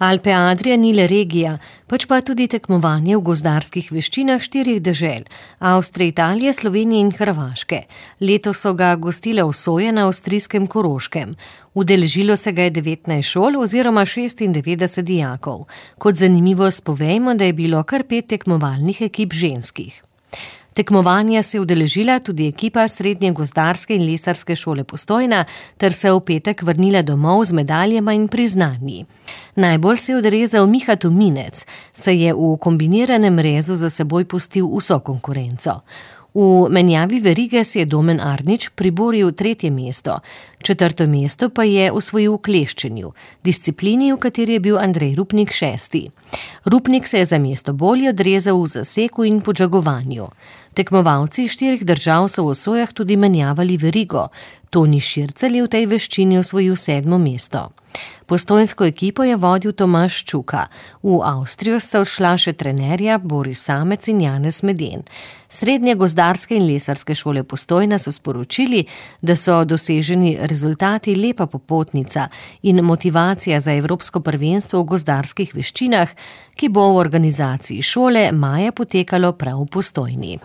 Alpe Adria ni le regija, pač pa tudi tekmovanje v gozdarskih veščinah 4 dežel, Avstrije, Italije, Slovenije in Hrvaške. Letos so ga gostile v Soje na avstrijskem Koroškem. Udeležilo se ga je 19 šol oziroma 96 dijakov. Kot zanimivost povejmo, da je bilo kar 5 tekmovalnih ekip ženskih. Tekmovanja se je udeležila tudi ekipa Srednje gozdarske in lesarske šole Postojna ter se v petek vrnila domov z medaljama in priznanji. Najbolj se je odrezal Miha Tominec, saj je v kombiniranem rezu za seboj pustil vso konkurenco. V menjavi verige si je Domen Arnič priboril 3. mesto, 4. mesto pa je osvojil v kleščenju, disciplini, v kateri je bil Andrej Rupnik 6. Rupnik se je za mesto bolje odrezal v zaseku in podžagovanju. Tekmovalci 4 držav so v Sojah tudi menjavali verigo. Toni Šircelj je v tej veščini osvojil 7. mesto. Postojnsko ekipo je vodil Tomaž Čuka. V Avstrijo sta odšla še trenerja Boris Samec in Janez Meden. Srednje gozdarske in lesarske šole Postojna so sporočili, da so doseženi rezultati lepa popotnica in motivacija za evropsko prvenstvo v gozdarskih veščinah, ki bo v organizaciji šole maja potekalo prav v Postojni.